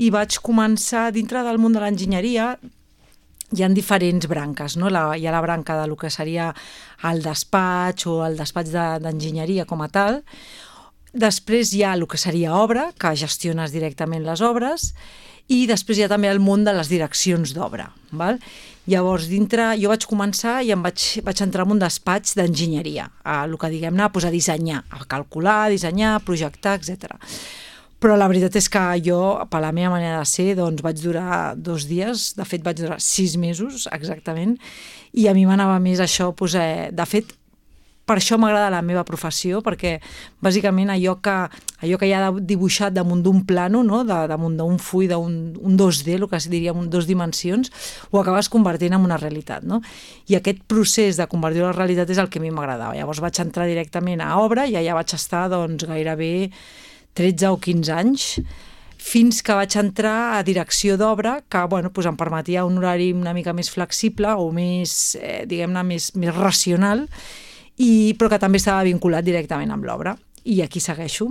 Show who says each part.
Speaker 1: i vaig començar, dintre del món de l'enginyeria, hi ha diferents branques, no? Hi ha la branca del que seria el despatx o el despatx d'enginyeria com a tal. Després hi ha el que seria obra, que gestiones directament les obres, i després hi ha també el món de les direccions d'obra. Llavors, dintre, jo vaig començar i vaig entrar en un despatx d'enginyeria, el que diguem-ne, a dissenyar, a calcular, a dissenyar, a projectar, etc. Però la veritat és que jo, per la meva manera de ser, doncs vaig durar 2 dies, de fet vaig durar 6 mesos exactament, i a mi m'anava més això, de fet, per això m'agrada la meva professió, perquè bàsicament allò que hi ha dibuixat damunt d'un plano, no? Damunt d'un full, d'un 2D, el que es diria en 2 dimensions, ho acabes convertint en una realitat, no? I aquest procés de convertir-ho en realitat és el que a mi m'agradava. Llavors vaig entrar directament a obra i allà vaig estar doncs, gairebé 13 o 15 anys, fins que vaig entrar a direcció d'obra, que em permetia un horari una mica més flexible o més, diguem-ne, més racional, però que també estava vinculat directament amb l'obra. I aquí segueixo.